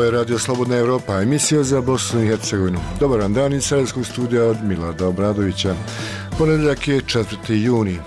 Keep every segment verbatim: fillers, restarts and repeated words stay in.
je Radio Slobodna Evropa, emisija za Bosnu i Hercegovinu. Dobar vam dan iz Sarajevskog studija od Milada Obradovića. Ponedjeljak je četvrti juni.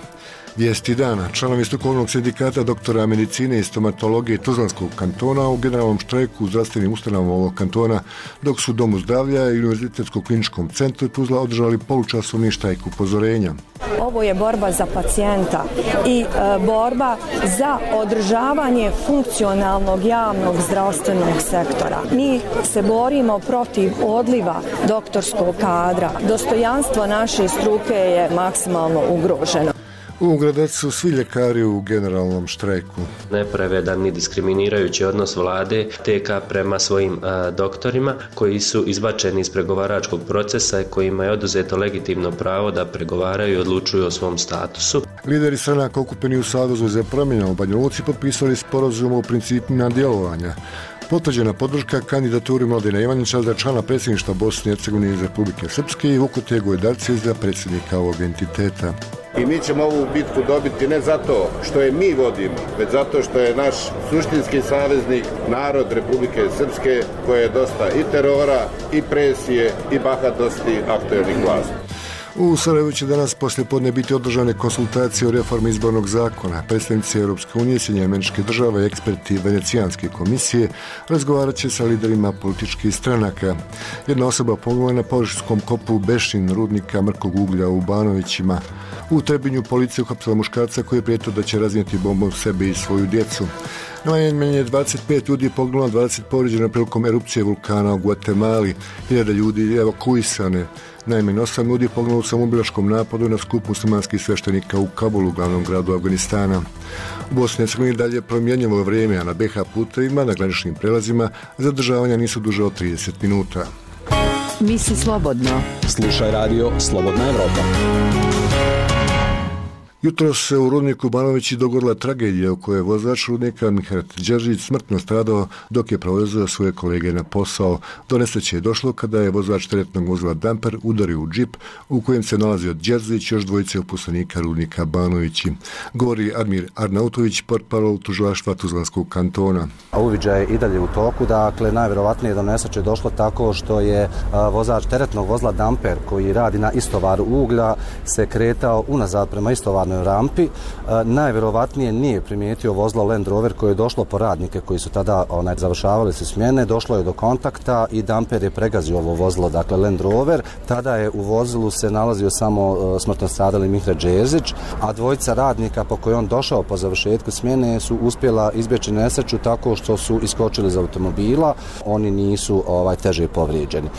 Vijesti dana. Članovi strukovnog sindikata doktora medicine i stomatologije Tuzlanskog kantona u generalnom štrajku u zdravstvenim ustanovama ovog kantona, dok su u Domu zdravlja i Univerzitetskom kliničkom centru Tuzla održali polučasovni štrajk upozorenja. Ovo je borba za pacijenta i e, borba za održavanje funkcionalnog javnog zdravstvenog sektora. Mi se borimo protiv odliva doktorskog kadra. Dostojanstvo naše struke je maksimalno ugroženo. U Gradacu su svi ljekari u generalnom štrajku. Nepravedan i diskriminirajući odnos vlade T K prema svojim a, doktorima koji su izbačeni iz pregovaračkog procesa i kojima je oduzeto legitimno pravo da pregovaraju i odlučuju o svom statusu. Lideri stranaka okupeni u Savezu za promjene u Banja Luci potpisali sporazum o principima djelovanja. Potvrđena podrška kandidaturi Mladena Ivanića za člana predsjedništva Bosne i Hercegovine iz Republike Srpske i Vukote Gojdarci za predsjednika ovog entiteta. I mi ćemo ovu bitku dobiti ne zato što je mi vodimo, već zato što je naš suštinski saveznik narod Republike Srpske, koje je dosta i terora, i presije, i bahatosti aktuelnih vlasti. U Sarajevu će danas poslijepodne biti održane konsultacije o reformi izbornog zakona. Predstavnici Europske unije, Sjedinjenih Američkih Država i eksperti Venecijanske komisije razgovarat će sa liderima političkih stranaka. Jedna osoba poginula na površinskom kopu Bešin rudnika mrkog uglja u Banovićima. U Trebinju policija uhapsila muškarca koji je prijetio da će raznijeti bombom sebe i svoju djecu. Najmanje dvadeset pet ljudi je poginulo, dvadeset povrijeđeno prilikom erupcije vulkana u Guatemali, hiljada ljudi evakuisane. Najmanje osam ljudi je poginulo u samoubilačkom napadu na skup muslimanskih sveštenika u Kabulu, glavnom gradu Afganistana. U Bosni i Hercegovini dalje promjenjivo vrijeme, a na B H putevima, na graničnim prelazima, zadržavanja nisu duže od trideset minuta. Misli slobodno. Slušaj radio Slobodna Evropa. Jutro se u rudniku Banovići dogodila tragedija u kojoj je vozač rudnika Mihajlo Đeržić smrtno stradao dok je prevezao svoje kolege na posao. Do nesreće je došlo kada je vozač teretnog vozila Damper udario u džip u kojem se nalazio Đeržić i još dvojice uposlenika rudnika Banovići. Govori Admir Arnautović, portparol tužilaštva Tuzlanskog kantona. Uviđaj je i dalje u toku, dakle najvjerovatnije do nesreće došlo tako što je a, vozač teretnog vozila Damper koji radi na istovaru uglja se kretao unazad prema istovaru rampi. E, najvjerovatnije nije primijetio vozilo Land Rover koje je došlo po radnike koji su tada onaj, završavali se smjene, došlo je do kontakta i Damper je pregazio ovo vozilo, dakle Land Rover. Tada je u vozilu se nalazio samo e, smrtno stradali Mihajlo Đeržić, a dvojica radnika po kojoj on došao po završetku smjene su uspjela izbjeći nesreću tako što su iskočili iz automobila, oni nisu ovaj, teže povrijeđeni. E,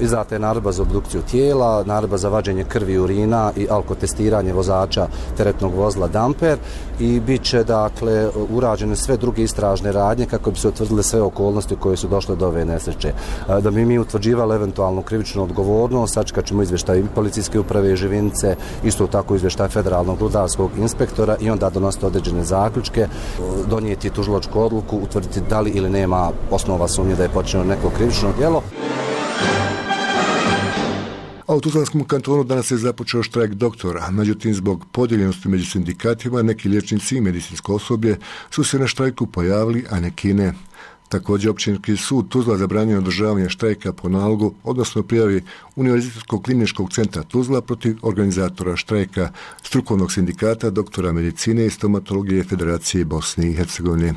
izdata je naredba za obdukciju tijela, naredba za vađenje krvi, urina i alkotestiranje vozača teretnog vozila Damper i bit će dakle urađene sve druge istražne radnje kako bi se utvrdile sve okolnosti koje su došle do ove nesreće. Da bi mi utvrđivali eventualnu krivičnu odgovornost, sačekat ćemo izvještaj policijske uprave Živinice, isto tako izvještaj federalnog rudarskog inspektora i onda donositi određene zaključke, donijeti tužilačku odluku, utvrditi da li ili nema osnova sumnje da je počinjeno neko krivično djelo. A u Tuzlanskom kantonu danas je započeo štrajk doktora. Međutim, zbog podijeljenosti među sindikatima, neki liječnici i medicinsko osoblje su se na štrajku pojavili, a neki ne. Također, općinski sud Tuzla zabranio održavanje štrajka po nalogu, odnosno prijavi Univerzitetskog kliničkog centra Tuzla protiv organizatora štrajka strukovnog sindikata doktora medicine i stomatologije Federacije Bosne i Hercegovine.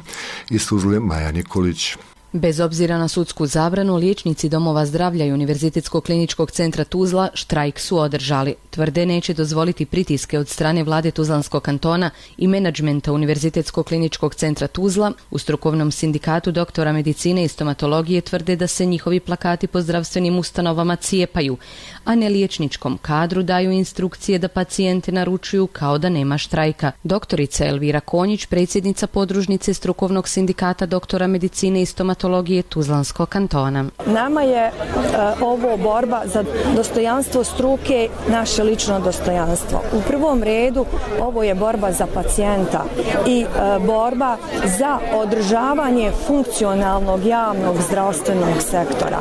Iz Tuzle Maja Nikolić. Bez obzira na sudsku zabranu, liječnici domova zdravlja i Univerzitetskog kliničkog centra Tuzla štrajk su održali. Tvrde neće dozvoliti pritiske od strane vlade Tuzlanskog kantona i menadžmenta Univerzitetskog kliničkog centra Tuzla. U strukovnom sindikatu doktora medicine i stomatologije tvrde da se njihovi plakati po zdravstvenim ustanovama cijepaju, a ne liječničkom kadru daju instrukcije da pacijente naručuju kao da nema štrajka. Doktorica Elvira Konjić, predsjednica podružnice strukovnog sindikata doktora medicine i stomatologije Tuzlanskog kantona. Nama je uh, ovo borba za dostojanstvo struke, naše lično dostojanstvo. U prvom redu ovo je borba za pacijenta i uh, borba za održavanje funkcionalnog javnog zdravstvenog sektora.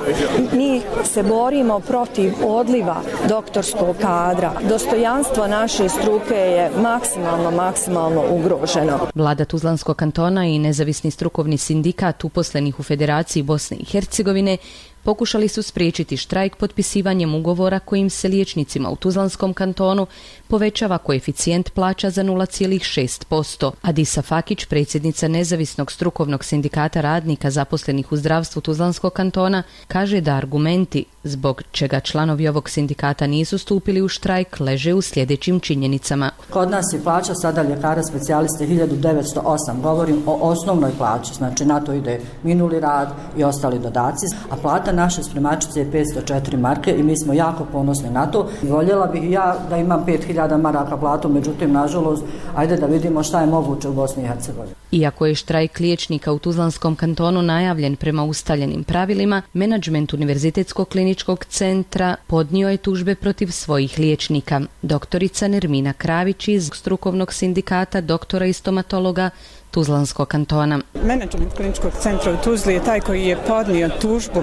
Mi se borimo protiv odliva doktorskog kadra. Dostojanstvo naše struke je maksimalno, maksimalno ugroženo. Vlada Tuzlanskog kantona i nezavisni strukovni sindikat uposlenih u Federaciji Bosne i Hercegovine pokušali su spriječiti štrajk potpisivanjem ugovora kojim se liječnicima u Tuzlanskom kantonu povećava koeficijent plaća za nula zarez šest posto. Adisa Fakić, predsjednica Nezavisnog strukovnog sindikata radnika zaposlenih u zdravstvu Tuzlanskog kantona, kaže da argumenti zbog čega članovi ovog sindikata nisu stupili u štrajk leže u sljedećim činjenicama. Kod nas je plaća sada ljekara specijaliste hiljadu devetsto osam. Govorim o osnovnoj plaći, znači na to ide minuli rad i ostali dodaci, a plata naše spremačice je petsto četiri marke i mi smo jako ponosni na to. Voljela bih ja da imam pet hiljada maraka platu, međutim, nažalost, ajde da vidimo šta je moguće u Bosni i Hercegovini. Iako je štrajk liječnika u Tuzlanskom kantonu najavljen prema ustaljenim pravilima, menadžment Univerzitetskog kliničkog centra podnio je tužbe protiv svojih liječnika. Doktorica Nermina Kravić iz strukovnog sindikata doktora i stomatologa Tuzlanskog kantona. Menadžment kliničkog centra u Tuzli je taj koji je podnio tužbu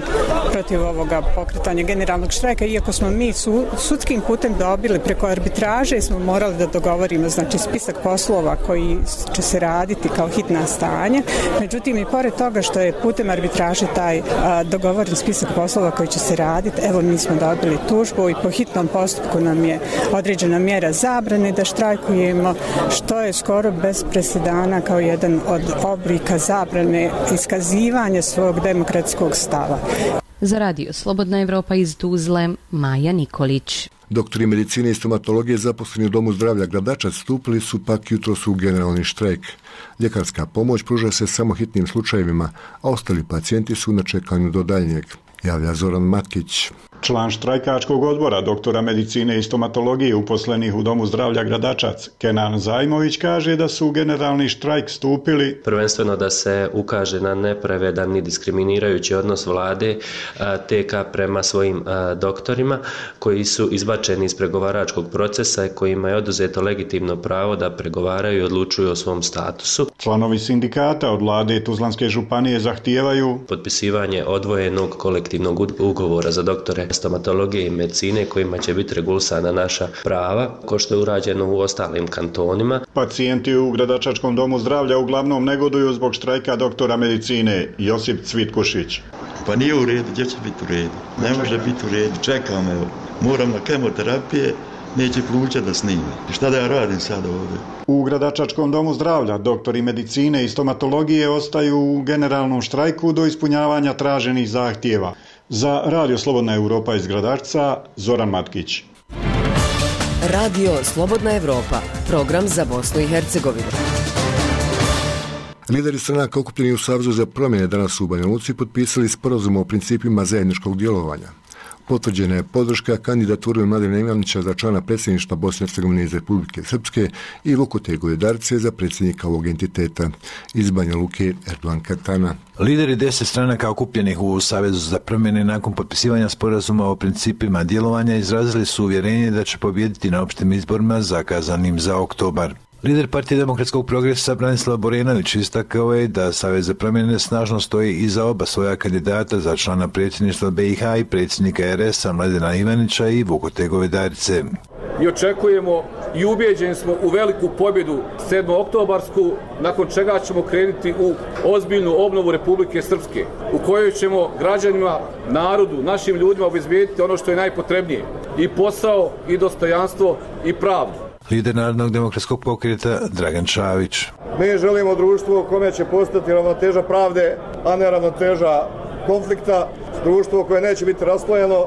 protiv ovoga pokretanja generalnog štrajka, iako smo mi su, sudskim putem dobili preko arbitraže i smo morali da dogovorimo znači spisak poslova koji će se raditi kao hitna stanja. Međutim, i pored toga što je putem arbitraže taj a, dogovoren spisak poslova koji će se raditi, evo mi smo dobili tužbu i po hitnom postupku nam je određena mjera zabrane da štrajkujemo, što je skoro bez presedana kao jedan od oblika zabrane iskazivanja svog demokratskog stava. Za radio Slobodna Evropa iz Tuzle, Maja Nikolić. Doktori medicine i stomatologije zaposleni u Domu zdravlja Gradačac stupili su pak jutros u generalni štrajk. Ljekarska pomoć pruža se samo hitnim slučajevima, a ostali pacijenti su na čekanju do daljnjeg, javlja Zoran Matkić. Član štrajkačkog odbora doktora medicine i stomatologije uposlenih u Domu zdravlja Gradačac, Kenan Zajmović, kaže da su u generalni štrajk stupili prvenstveno da se ukaže na nepravedan i diskriminirajući odnos vlade T K prema svojim doktorima koji su izbačeni iz pregovaračkog procesa i kojima je oduzeto legitimno pravo da pregovaraju i odlučuju o svom statusu. Članovi sindikata od vlade Tuzlanske županije zahtijevaju potpisivanje odvojenog kolektivnog ugovora za doktore stomatologije i medicine kojima će biti regulisana naša prava, ko što je urađeno u ostalim kantonima. Pacijenti u Gradačačkom domu zdravlja uglavnom negoduju zbog štrajka doktora medicine Josip Cvitkušić. Pa nije u redu, gdje će biti u redu? Ne može biti u redu, čekam, evo, moram na kemoterapije, neće pluća da snime. Šta da ja radim sad ovdje? U Gradačačkom domu zdravlja doktori medicine i stomatologije ostaju u generalnom štrajku do ispunjavanja traženih zahtjeva. Za Radio Slobodna Evropa iz Gradačca, Zoran Matkić. Radio Slobodna Evropa, program za Bosnu i Hercegovinu. Lideri stranaka okupljeni u Savezu za promjene danas u Banja Luci potpisali sporazum o principima zajedničkog djelovanja. Potvrđena je podrška kandidaturi Mladena Ivanića za člana predsjedništva Bosne i Hercegovine iz Republike Srpske i Vukote Govedarce za predsjednika ovog entiteta. Iz Banja Luke, Erdogan Katana. Lideri deset stranaka okupljenih u Savezu za promjene nakon potpisivanja sporazuma o principima djelovanja izrazili su uvjerenje da će pobijediti na opštim izborima zakazanim za oktobar. Lider Partije demokratskog progresa Branislav Borenović istakao je da Savez za promjene snažno stoji iza oba svoja kandidata za člana predsjedništva B i H i predsjednika R S a Mladena Ivanića i Vukote Govedarice. I očekujemo i ubijeđeni smo u veliku pobjedu sedmooktobarsku, nakon čega ćemo krenuti u ozbiljnu obnovu Republike Srpske, u kojoj ćemo građanima, narodu, našim ljudima obezbijediti ono što je najpotrebnije, i posao, i dostojanstvo, i pravdu. Lider Narodnog demokratskog pokreta Dragan Čavić. Mi želimo društvo u kome će postati ravnoteža pravde, a ne ravnoteža konflikta, društvo koje neće biti raslojeno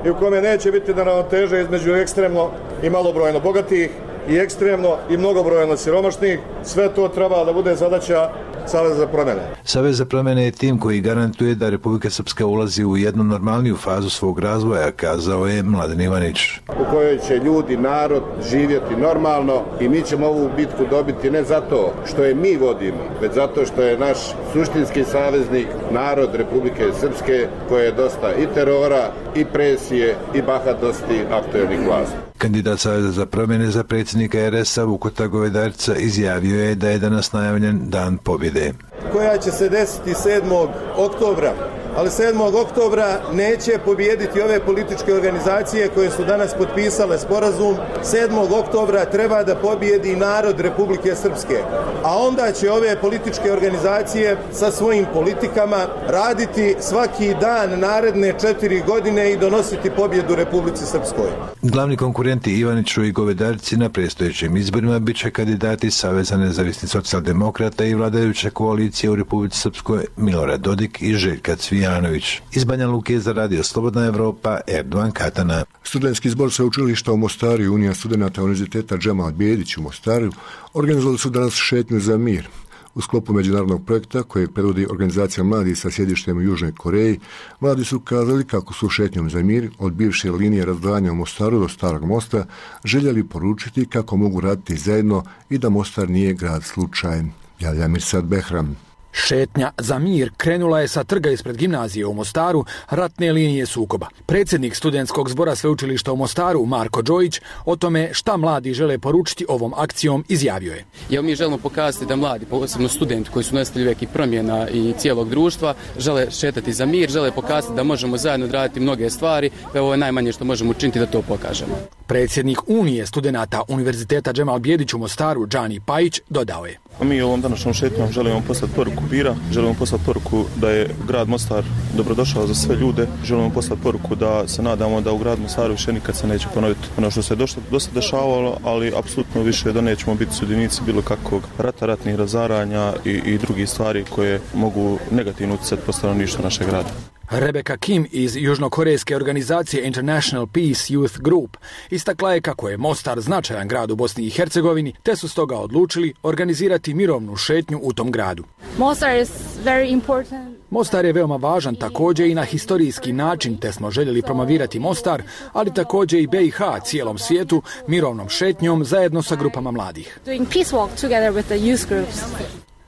i u kome neće biti neravnoteže između ekstremno i malobrojno bogatih i ekstremno i mnogobrojno siromašnih. Sve to treba da bude zadaća Saveza za promjene. Savez za promjene je tim koji garantuje da Republika Srpska ulazi u jednu normalniju fazu svog razvoja, kazao je Mladen Ivanić. U kojoj će ljudi, narod živjeti normalno i mi ćemo ovu bitku dobiti ne zato što je mi vodimo, već zato što je naš suštinski saveznik narod Republike Srpske, koje je dosta i terora, i presije, i bahatosti aktuelnih vlasti. Kandidat Saveza za promjene za predsjednika R S a Vukota Govedarica izjavio je da je danas najavljen dan pobjede, koja će se desiti sedmog oktobra ali sedmog oktobra neće pobijediti ove političke organizacije koje su danas potpisale sporazum. sedmog oktobra treba da pobijedi narod Republike Srpske, a onda će ove političke organizacije sa svojim politikama raditi svaki dan naredne četiri godine i donositi pobjedu Republici Srpskoj. Glavni konkurenti Ivaniću i Govedarici na predstojećim izborima bit će kandidati Saveza nezavisnih socijaldemokrata i vladajuće koalicije u Republici Srpskoj Milorad Dodik i Željka Cvijanović. Iz Banja Luke za Radio Slobodna Evropa, Erdovan Katana. Studentski zbor sveučilišta u Mostaru i Unija studenata Univerziteta Džemal Bijedić u Mostaru organizovali su danas šetnju za mir. U sklopu međunarodnog projekta kojeg predvodi organizacija mladih sa sjedištem u Južnoj Koreji, mladi su kazali kako su šetnjom za mir od bivše linije razdvajanja u Mostaru do Starog mosta željeli poručiti kako mogu raditi zajedno i da Mostar nije grad slučajem. Javlja Mirsad Behram. Šetnja za mir krenula je sa trga ispred gimnazije u Mostaru, ratne linije sukoba. Predsjednik studentskog zbora sveučilišta u Mostaru, Marko Đojić, o tome šta mladi žele poručiti ovom akcijom izjavio je. Evo mi želimo pokazati da mladi, posebno studenti koji su nositelji velikih promjena i cijelog društva, žele šetati za mir, žele pokazati da možemo zajedno odraditi mnoge stvari, pa ovo je najmanje što možemo učiniti da to pokažemo. Predsjednik Unije studenata Univerziteta Džemal Bijedić u Mostaru, Džani Pajić, dodao je. Mi ovom današnjom šetnjom želimo poslati poruku mira, želimo poslati poruku da je grad Mostar dobrodošao za sve ljude, želimo poslati poruku da se nadamo da u gradu Mostaru više nikad se neće ponoviti ono što se dosta, dosta dešavalo, ali apsolutno više da nećemo biti sudionici bilo kakvog rata, ratnih razaranja i, i drugih stvari koje mogu negativno utjecati po stanovništvu našeg grada. Rebecca Kim iz južnokorejske organizacije International Peace Youth Group istakla je kako je Mostar značajan grad u Bosni i Hercegovini, te su stoga odlučili organizirati mirovnu šetnju u tom gradu. Mostar is very important. Mostar je veoma važan također i na historijski način, te smo željeli promovirati Mostar, ali također i B i H cijelom svijetu mirovnom šetnjom zajedno sa grupama mladih. Doing peace walk together with the youth groups.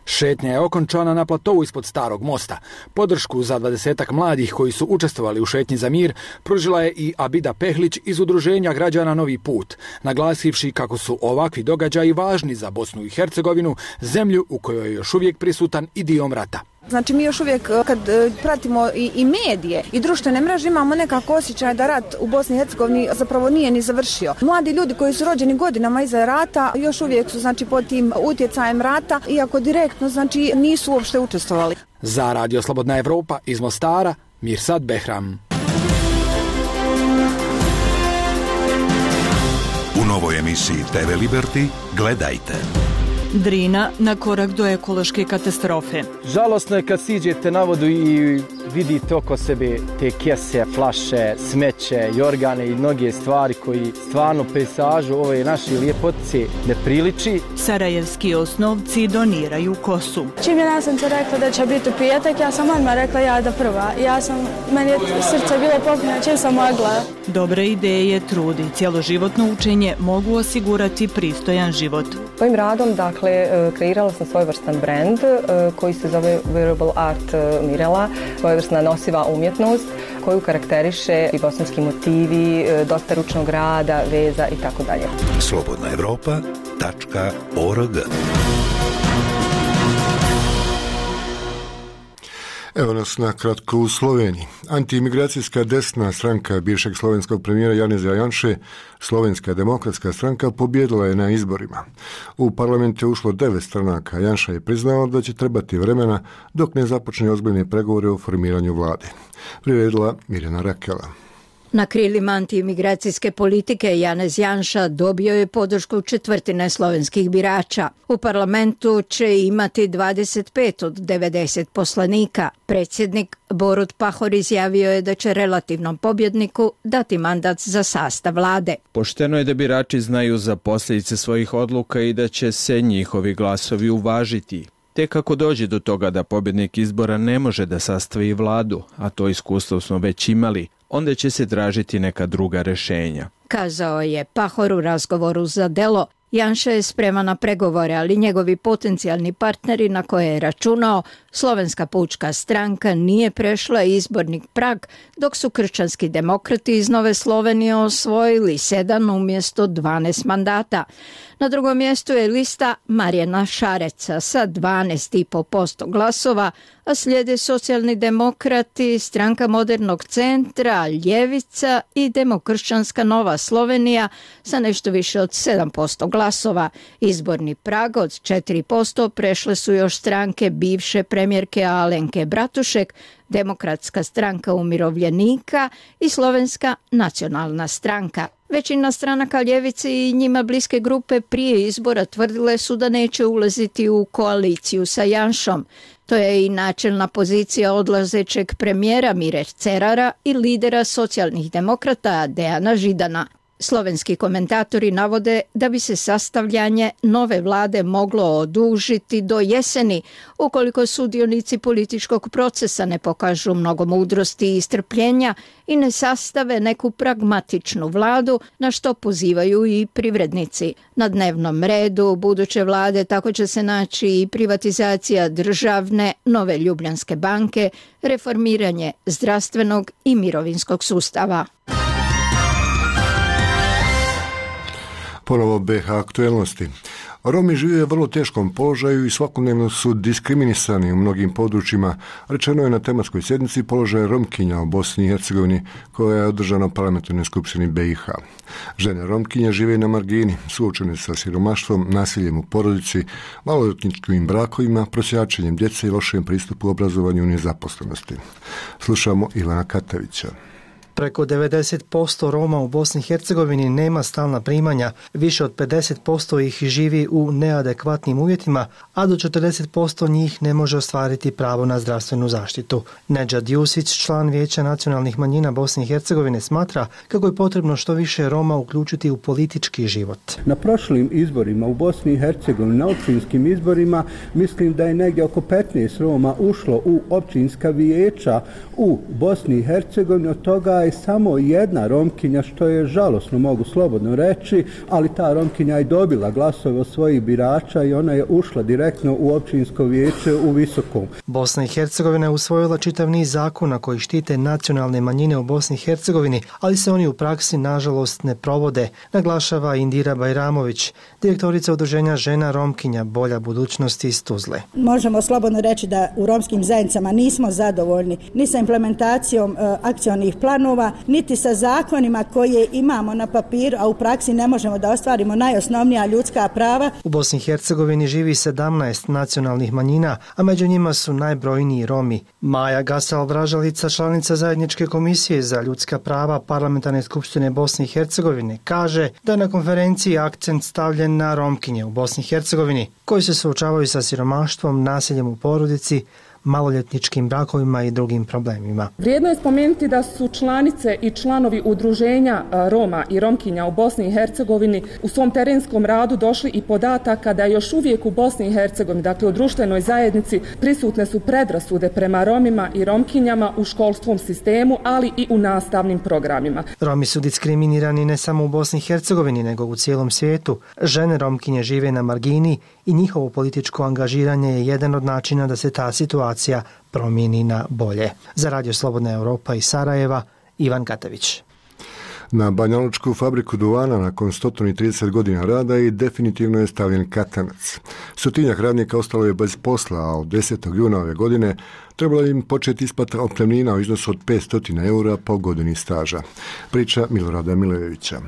Šetnja je okončana na platovu ispod Starog mosta. Podršku za dvadesetak mladih koji su učestvovali u šetnji za mir pružila je i Abida Pehlić iz udruženja građana Novi put, naglasivši kako su ovakvi događaji važni za Bosnu i Hercegovinu, zemlju u kojoj je još uvijek prisutan idiom rata. Znači mi još uvijek kad pratimo i, i medije i društvene mreže imamo nekako osjećaj da rat u Bosni i Hercegovini zapravo nije ni završio. Mladi ljudi koji su rođeni godinama iza rata još uvijek su znači pod tim utjecajem rata, iako direktno znači nisu uopšte učestvovali. Za Radio Slobodna Evropa iz Mostara, Mirsad Behram. U novoj emisiji T V Liberty gledajte. Drina na korak do ekološke katastrofe. Žalosno je kad siđete na vodu i vidite oko sebe te kese, flaše, smeće, jorgane i mnoge stvari koji stvarno pejsažu ove naše ljepotice ne priliči. Sarajevski osnovci doniraju kosu. Čim je nastavnica rekla da će biti u petak, ja sam odmah rekla ja da prva. Ja sam, meni je srce bilo popunjeno čim sam mogla. Dobre ideje, trud i cjeloživotno učenje mogu osigurati pristojan život. Svojim radom, dakle, kreirala sam svojevrstan brand koji se zove Wearable Art Mirela, svojevrsna nosiva umjetnost koju karakteriše i bosanski motivi, dosta ručnog rada, veza i tako dalje. slobodna evropa tačka org. Evo nas na kratko u Sloveniji. Antiimigracijska desna stranka bivšeg slovenskog premijera Janeza Janše, Slovenska demokratska stranka, pobjedila je na izborima. U parlament je ušlo devet stranaka. Janša je priznao da će trebati vremena dok ne započne ozbiljne pregovore o formiranju vlade. Priredila Mirjana Rakela. Na krilima antiimigracijske politike Janez Janša dobio je podršku četvrtine slovenskih birača. U parlamentu će imati dvadeset pet od devedeset poslanika. Predsjednik Borut Pahor izjavio je da će relativnom pobjedniku dati mandat za sastav vlade. Pošteno je da birači znaju za posljedice svojih odluka i da će se njihovi glasovi uvažiti. Tek ako dođe do toga da pobjednik izbora ne može da sastavi vladu, a to iskustvo smo već imali, onda će se tražiti neka druga rješenja. Kazao je Pahor u razgovoru za Delo. Janša je spreman na pregovore, ali njegovi potencijalni partneri na koje je računao, Slovenska pučka stranka, nije prešla izborni prag, dok su kršćanski demokrati iz Nove Slovenije osvojili sedam umjesto dvanaest mandata. Na drugom mjestu je lista Marijana Šareca sa dvanaest i pet posto glasova, a slijede socijalni demokrati, stranka Modernog centra, Ljevica i Demokršćanska Nova Slovenija sa nešto više od sedam posto glasova. Izborni prag od četiri posto prešle su još stranke bivše premijerke Alenke Bratušek, Demokratska stranka umirovljenika i Slovenska nacionalna stranka. Većina stranaka ljevice i njima bliske grupe prije izbora tvrdile su da neće ulaziti u koaliciju sa Janšom. To je i načelna pozicija odlazećeg premijera Mire Cerara i lidera socijalnih demokrata Dejana Židana. Slovenski komentatori navode da bi se sastavljanje nove vlade moglo odužiti do jeseni ukoliko sudionici političkog procesa ne pokažu mnogo mudrosti i strpljenja i ne sastave neku pragmatičnu vladu, na što pozivaju i privrednici. Na dnevnom redu buduće vlade tako će se naći i privatizacija državne Nove Ljubljanske banke, reformiranje zdravstvenog i mirovinskog sustava. Ponovo B H aktuelnosti. Romi žive u vrlo teškom položaju i svakodnevno su diskriminisani u mnogim područjima. Rečeno je na tematskoj sjednici položaja Romkinja u Bosni i Hercegovini koja je održana u parlamentarnoj skupštini B i H. Žene Romkinja žive na margini, suočene sa siromaštvom, nasiljem u porodici, maloljetničkim brakovima, prosjačenjem djece i lošem pristupu obrazovanju i nezaposlenosti. Slušamo Ivana Katavića. Preko devedeset posto Roma u Bosni i Hercegovini nema stalna primanja, više od pedeset posto ih živi u neadekvatnim uvjetima, a do četrdeset posto njih ne može ostvariti pravo na zdravstvenu zaštitu. Nedžad Jusić, član Vijeća nacionalnih manjina Bosne i Hercegovine, smatra kako je potrebno što više Roma uključiti u politički život. Na prošlim izborima u Bosni i Hercegovini, na općinskim izborima, mislim da je negdje oko petnaest Roma ušlo u općinska vijeća u Bosni i Hercegovini, od toga je samo jedna Romkinja, što je žalosno, mogu slobodno reći, ali ta Romkinja je dobila glasove od svojih birača i ona je ušla direktno u općinsko vijeće u Visokom. Bosna i Hercegovina je usvojila čitav niz zakona koji štite nacionalne manjine u Bosni i Hercegovini, ali se oni u praksi nažalost ne provode, naglašava Indira Bajramović, direktorica udruženja žena Romkinja Bolja budućnost iz Tuzle. Možemo slobodno reći da u romskim zajednicama nismo zadovoljni ni sa implementacijom e, akcionih planova, niti sa zakonima koje imamo na papiru, a u praksi ne možemo da ostvarimo najosnovnija ljudska prava. U Bosni i Hercegovini živi sedamnaest nacionalnih manjina, a među njima su najbrojniji Romi. Maja Gasal-Vražalica, članica Zajedničke komisije za ljudska prava Parlamentarne skupštine Bosne i Hercegovine, kaže da je na konferenciji akcent stavljen na Romkinje u Bosni i Hercegovini, koji se suočavaju sa siromaštvom, nasiljem u porodici, maloljetničkim brakovima i drugim problemima. Vrijedno je spomenuti da su članice i članovi udruženja Roma i Romkinja u Bosni i Hercegovini u svom terenskom radu došli i podataka da još uvijek u Bosni i Hercegovini, dakle u društvenoj zajednici, prisutne su predrasude prema Romima i Romkinjama u školskom sistemu, ali i u nastavnim programima. Romi su diskriminirani ne samo u Bosni i Hercegovini, nego u cijelom svijetu. Žene Romkinje žive na margini i njihovo političko angažiranje je jedan od načina da se ta situacija promijeni na bolje. Za Radio Slobodna Europa iz Sarajeva, Ivan Katavić. Na banjalučku fabriku duvana nakon sto trideset godina rada i definitivno je stavljen katanac. Stotinjak radnika ostalo je bez posla, a od desetog juna ove godine trebalo im početi isplata otpremnina u iznosu od petsto eura po godini staža. Priča Milorada Milejevića.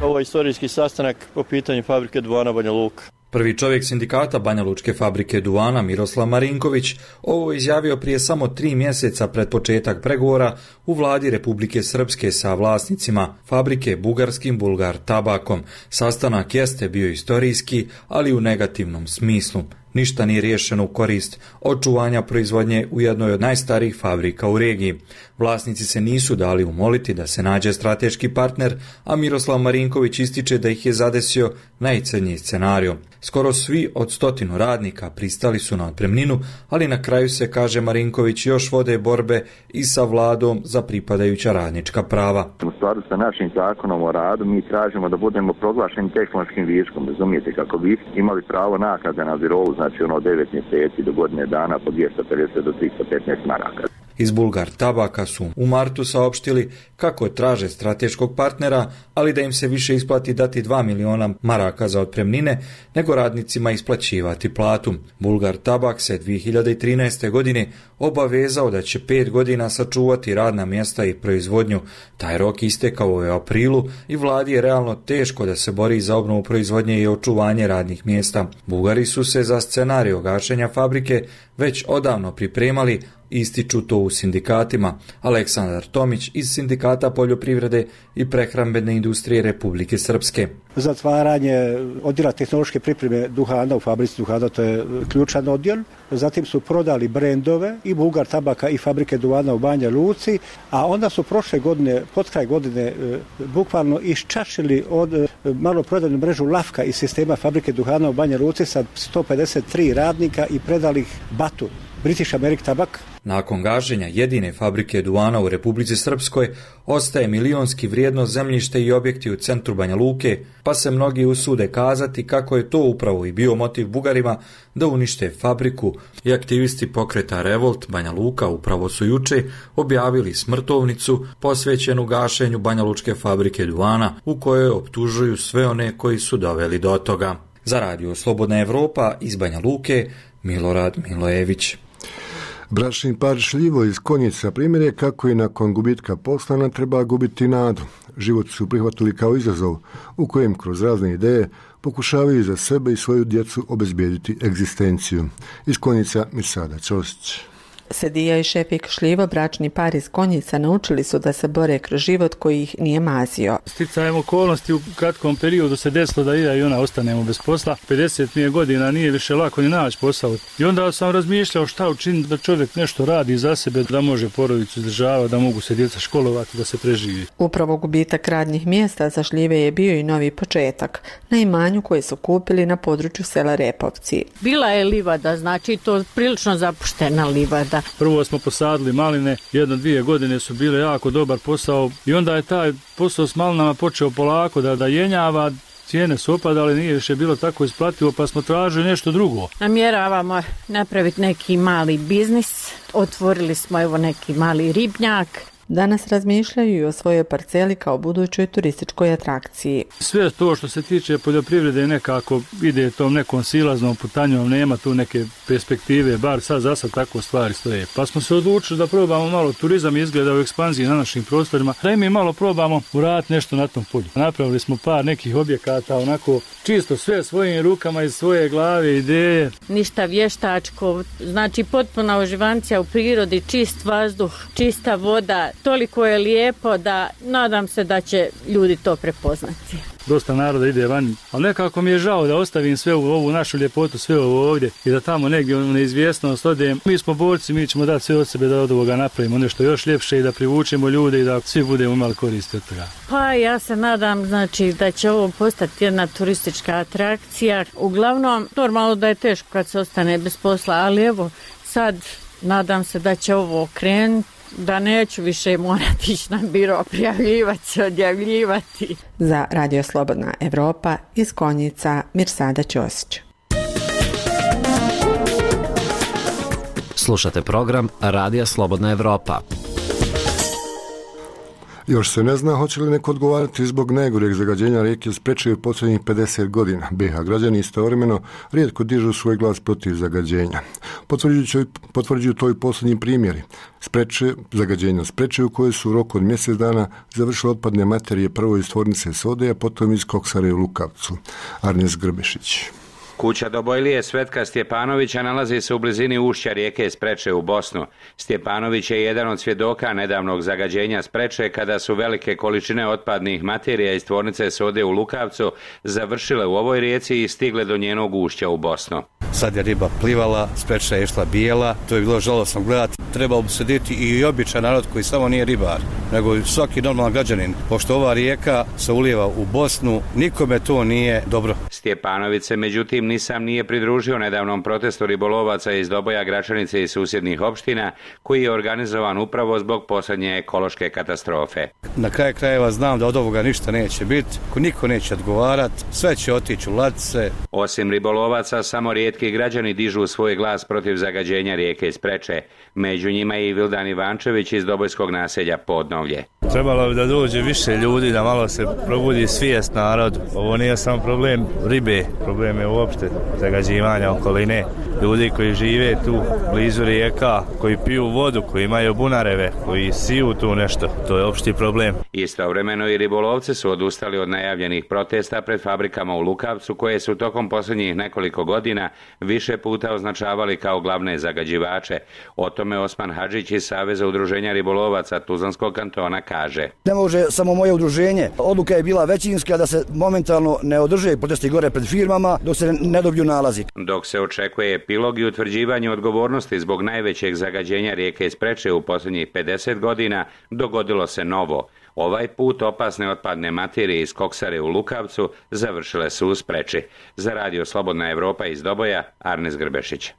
Ovo je istorijski sastanak po pitanju fabrike duvana Banja Luka. Prvi čovjek sindikata Banjalučke fabrike duvana, Miroslav Marinković, ovo izjavio prije samo tri mjeseca pred početak pregovora u vladi Republike Srpske sa vlasnicima fabrike bugarskim Bulgar tabakom. Sastanak jeste bio istorijski, ali u negativnom smislu. ništa nije riješeno u korist očuvanja proizvodnje u jednoj od najstarijih fabrika u regiji. Vlasnici se nisu dali umoliti da se nađe strateški partner, a Miroslav Marinković ističe da ih je zadesio najcrnji scenarij. Skoro svi od stotinu radnika pristali su na otpremninu, ali na kraju se, kaže Marinković, još vode borbe i sa vladom za pripadajuća radnička prava. U skladu sa našim zakonom o radu mi tražimo da budemo proglašeni tehnološkim viškom, razumijete, kako bi imali pravo naknade na birou, znači ono devet mjeseci do godine dana po dvjesto pedeset do tristo petnaest maraka. Iz Bulgar Tabaka su u martu saopštili kako traže strateškog partnera, ali da im se više isplati dati dva miliona maraka za otpremnine, nego radnicima isplaćivati platu. Bulgar Tabak se dvije hiljade trinaeste. godine obavezao da će pet godina sačuvati radna mjesta i proizvodnju. Taj rok istekao u aprilu i vladi je realno teško da se bori za obnovu proizvodnje i očuvanje radnih mjesta. Bugari su se za scenarij gašenja fabrike već odavno pripremali, ističu to u sindikatima. Aleksandar Tomić iz Sindikata poljoprivrede i prehrambene industrije Republike Srpske. Zatvaranje odjela tehnološke pripreme duhana u fabrici duhana, to je ključan odjel. Zatim su prodali brendove i Bulgar Tabaka i fabrike duvana u Banja Luci, a onda su prošle godine, pod kraj godine, bukvalno iščašili od maloprodajnu mrežu Lafka iz sistema fabrike duhana u Banja Luci sa sto pedeset tri radnika i predali ih Batu, British American Tabak. Nakon gaženja jedine fabrike duvana u Republici Srpskoj ostaje milionski vrijedno zemljište i objekti u centru Banja Luke, pa se mnogi usude kazati kako je to upravo i bio motiv Bugarima da unište fabriku, i aktivisti pokreta Revolt Banja Luka upravo su juče objavili smrtovnicu posvećenu gašenju banjalučke fabrike duvana, u kojoj optužuju sve one koji su doveli do toga. Za radio Slobodna Evropa iz Banja Luke, Milorad Milojević. Bračni par Šljivo iz Konjica primjer je kako i nakon gubitka posla ne treba gubiti nadu. Život su prihvatili kao izazov u kojem kroz razne ideje pokušavaju za sebe i svoju djecu obezbijediti egzistenciju. Iz Konjica Mirsada Ćosić. Sedija i Šefik Šljivo, bračni par iz Konjica, naučili su da se bore kroz život koji ih nije mazio. Sticajem okolnosti u kratkom periodu se desilo da ja i ona ostanemo bez posla. pedeset mi je godina, nije više lako ni naći posao. I onda sam razmišljao šta učiniti da čovjek nešto radi za sebe, da može porodicu izdržavati, da mogu se djeca školovati, da se preživi. Upravo gubitak radnih mjesta za Šljive je bio i novi početak na imanju koje su kupili na području sela Repovci. Bila je livada, znači to prilično zapuštena livada. Prvo smo posadili maline, jedno dvije godine su bile jako dobar posao i onda je taj posao s malinama počeo polako da, da jenjava, cijene su opadale, nije više bilo tako isplativo, pa smo tražili nešto drugo. Namjeravamo napraviti neki mali biznis, otvorili smo evo neki mali ribnjak. Danas razmišljaju i o svojoj parceli kao budućoj turističkoj atrakciji. Sve to što se tiče poljoprivrede nekako ide tom nekom silaznom putanjom, nema tu neke perspektive, bar sad za sad tako stvari stoje. Pa smo se odlučili da probamo malo turizam izgleda u ekspanziji na našim prostorima, da i mi malo probamo uraditi nešto na tom polju. Napravili smo par nekih objekata, onako čisto sve svojim rukama iz svoje glave, ideje. Ništa vještačko, znači potpuna uživancija u prirodi, čist vazduh, čista voda. Toliko je lijepo da nadam se da će ljudi to prepoznati. Dosta naroda ide van, ali nekako mi je žao da ostavim sve u ovu našu ljepotu, sve ovo ovdje i da tamo negdje u neizvjesnost odem. Mi smo borci, mi ćemo dati sve od sebe da od ovoga napravimo nešto još ljepše i da privučemo ljude i da svi budemo imali koristi od toga. Pa ja se nadam znači da će ovo postati jedna turistička atrakcija. Uglavnom, normalno da je teško kad se ostane bez posla, ali evo sad nadam se da će ovo okrenuti, da neću više morati ići na biro, prijavljivati se, odjavljivati. Za Radio Slobodna Evropa iz Konjica, Mirsada Ćosić. Slušate program Radija Slobodna Evropa. Još se ne zna hoće li neko odgovarati zbog najgoreg zagađenja rijeke Spreče u posljednjih pedeset godina. B iH građani istovremeno rijetko dižu svoj glas protiv zagađenja. Potvrđuju, potvrđuju to i posljednji primjeri. Spreče, zagađenja Spreče u kojoj su u roku od mjesec dana završile otpadne materije prvo iz tvornice sode, a potom iz koksare u Lukavcu. Arnes Grbešić. Kuća Dobojlije Svetka Stjepanovića nalazi se u blizini ušća rijeke Spreče u Bosnu. Stjepanović je jedan od svjedoka nedavnog zagađenja Spreče kada su velike količine otpadnih materija iz tvornice sode u Lukavcu završile u ovoj rijeci i stigle do njenog ušća u Bosnu. sad je riba plivala, spreča je išla bijela, to je bilo žalosno gledati. Trebalo bi sediti i običan narod koji samo nije ribar, nego svaki normalan građanin, pošto ova rijeka se ulijeva u Bosnu, nikome to nije dobro. Stjepanović se međutim ni sam nije pridružio nedavnom protestu ribolovaca iz Doboja, Gračanice i susjednih opština, koji je organizovan upravo zbog posljednje ekološke katastrofe. Na kraju krajeva znam da od ovoga ništa neće biti, niko neće odgovarati, sve će otići u ladice. Osim ribolovaca, samo rijetki građani dižu svoj glas protiv zagađenja rijeke Spreče. Među njima je i Vildan Ivančević iz dobojskog naselja Podnovlje. Trebalo bi da dođe više ljudi, da malo se probudi svijest narodu. Ovo nije samo problem ribe, problem je uopšte zagađivanja okoline. Ljudi koji žive tu blizu rijeka, koji piju vodu, koji imaju bunareve, koji siju tu nešto, to je opšti problem. Istovremeno i ribolovci su odustali od najavljenih protesta pred fabrikama u Lukavcu, koje su tokom posljednjih nekoliko godina više puta označavali kao glavne zagađivače. O tome Osman Hadžić iz Saveza udruženja ribolovaca Tuzlanskog kantona kaže. Ne može samo moje udruženje. Odluka je bila većinska da se momentalno ne održe protesti gore pred firmama dok se ne dobiju nalazi. Dok se očekuje epilog i utvrđivanje odgovornosti zbog najvećeg zagađenja rijeke Spreče u posljednjih pedeset godina, dogodilo se novo. Ovaj put opasne otpadne materije iz koksare u Lukavcu završile su u Spreči. Za Radio Slobodna Evropa iz Doboja, Arnes Grbešić.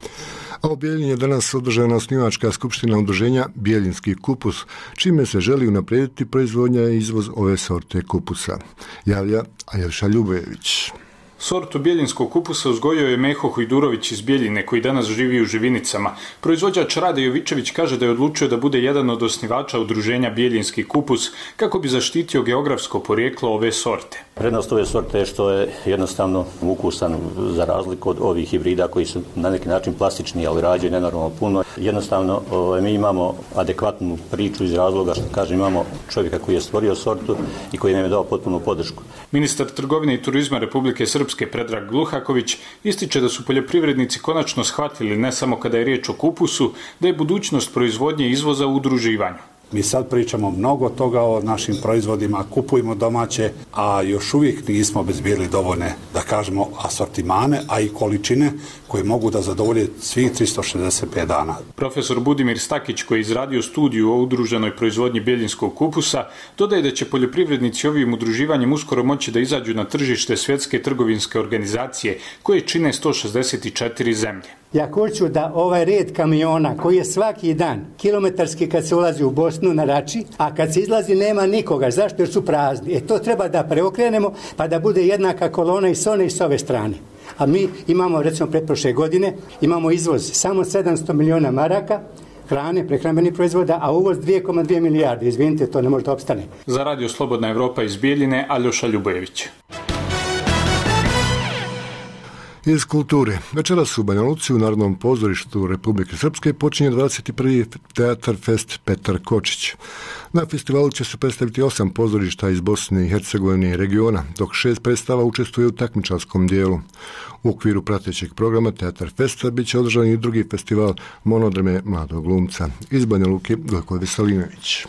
A u Bijeljini je danas održana osnivačka skupština udruženja Bijeljinski kupus, čime se želi unaprijediti proizvodnja i izvoz ove sorte kupusa. Javlja Aljoša Ljubojević. Sortu bijeljinskog kupusa uzgojio je Meho Hojdurović iz Bijeljine, koji danas živi u Živinicama. Proizvođač Rade Jovičević kaže da je odlučio da bude jedan od osnivača udruženja Bijeljinski kupus kako bi zaštitio geografsko porijeklo ove sorte. Prednost ove sorte je što je jednostavno ukusan za razliku od ovih hibrida koji su na neki način plastični, ali rađaju nenormalno puno. Jednostavno mi imamo adekvatnu priču iz razloga što kažem imamo čovjeka koji je stvorio sortu i koji nam je dao potpunu podršku. Ministar trgovine i turizma Republike Srpske Predrag Gluhaković ističe da su poljoprivrednici konačno shvatili ne samo kada je riječ o kupusu, da je budućnost proizvodnje i izvoza u udruživanju. Mi sad pričamo mnogo toga o našim proizvodima, kupujemo domaće, a još uvijek nismo obezbijeli dovoljne, da kažemo, asortimane, a i količine koje mogu da zadovolje svih tristo šezdeset pet dana. Profesor Budimir Stakić, koji je izradio studiju o udruženoj proizvodnji bijeljinskog kupusa, dodaje da će poljoprivrednici ovim udruživanjem uskoro moći da izađu na tržište Svjetske trgovinske organizacije, koje čine sto šezdeset četiri zemlje. Ja hoću da ovaj red kamiona koji je svaki dan kilometarski kad se ulazi u Bosnu na Rači, a kad se izlazi nema nikoga. Zašto? Jer su prazni. E to treba da preokrenemo pa da bude jednaka kolona i s one i s ove strane. A mi imamo, recimo, pretprošle godine, imamo izvoz samo sedamsto miliona maraka, hrane, prehrambenih proizvoda, a uvoz dvije zarez dvije milijarde. Izvinite, to ne može da opstane. Za Radio Slobodna Evropa iz Bijeljine, Aljoša Ljubojević. Iz kulture. Večeras u Banja Luci u Narodnom pozorištu Republike Srpske počinje dvadeset prvi Teatar Fest Petar Kočić. Na festivalu će se predstaviti osam pozorišta iz Bosne i Hercegovine i regiona, dok šest predstava učestvuje u takmičarskom dijelu. U okviru pratećeg programa Teatar Festa bit će održan i drugi festival Monodrame mladog glumca. Iz Banja Luke, Gojko Veselinović.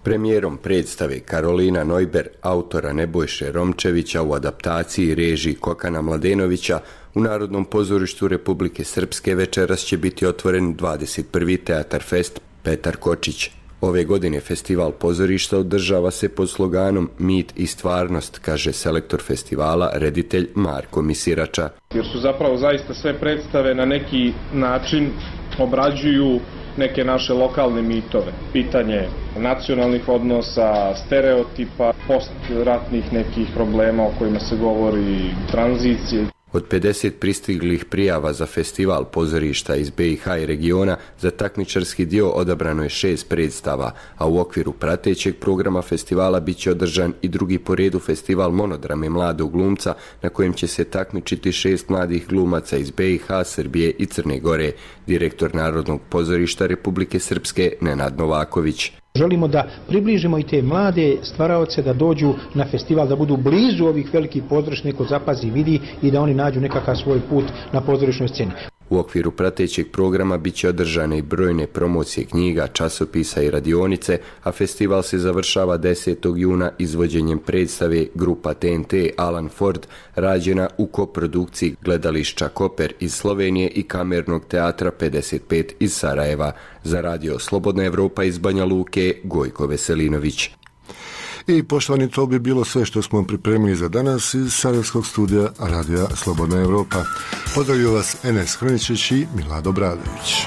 Premijerom predstave Karolina Neuber, autora Nebojše Romčevića u adaptaciji i režiji Kokana Mladenovića, u Narodnom pozorištu Republike Srpske večeras će biti otvoren dvadeset prvi Teatar Fest Petar Kočić. Ove godine festival pozorišta održava se pod sloganom Mit i stvarnost, kaže selektor festivala, reditelj Marko Misirača. Jer su zapravo zaista sve predstave na neki način obrađuju neke naše lokalne mitove. Pitanje nacionalnih odnosa, stereotipa, postratnih nekih problema o kojima se govori, tranzicije. Od pedeset pristiglih prijava za festival pozorišta iz be i ha i regiona za takmičarski dio odabrano je šest predstava, a u okviru pratećeg programa festivala bit će održan i drugi po redu festival Monodrame mladog glumca, na kojem će se takmičiti šest mladih glumaca iz be i ha, Srbije i Crne Gore, direktor Narodnog pozorišta Republike Srpske Nenad Novaković. Želimo da približimo i te mlade stvaraoce da dođu na festival, da budu blizu ovih velikih pozorišta, neko zapazi, vidi i da oni nađu nekakav svoj put na pozorišnoj sceni. U U okviru pratećeg programa bit će održane i brojne promocije knjiga, časopisa i radionice, a festival se završava desetog juna izvođenjem predstave grupa T N T Alan Ford, rađena u koprodukciji gledališća Koper iz Slovenije i Kamernog teatra pedeset pet iz Sarajeva. Za radio Slobodna Evropa iz Banja Luke, Gojko Veselinović. I poštovani, to bi bilo sve što smo pripremili za danas iz Sarajevskog studija Radija Slobodna Evropa. Pozdravljaju vas Enes Hroničić i Milado Bradović.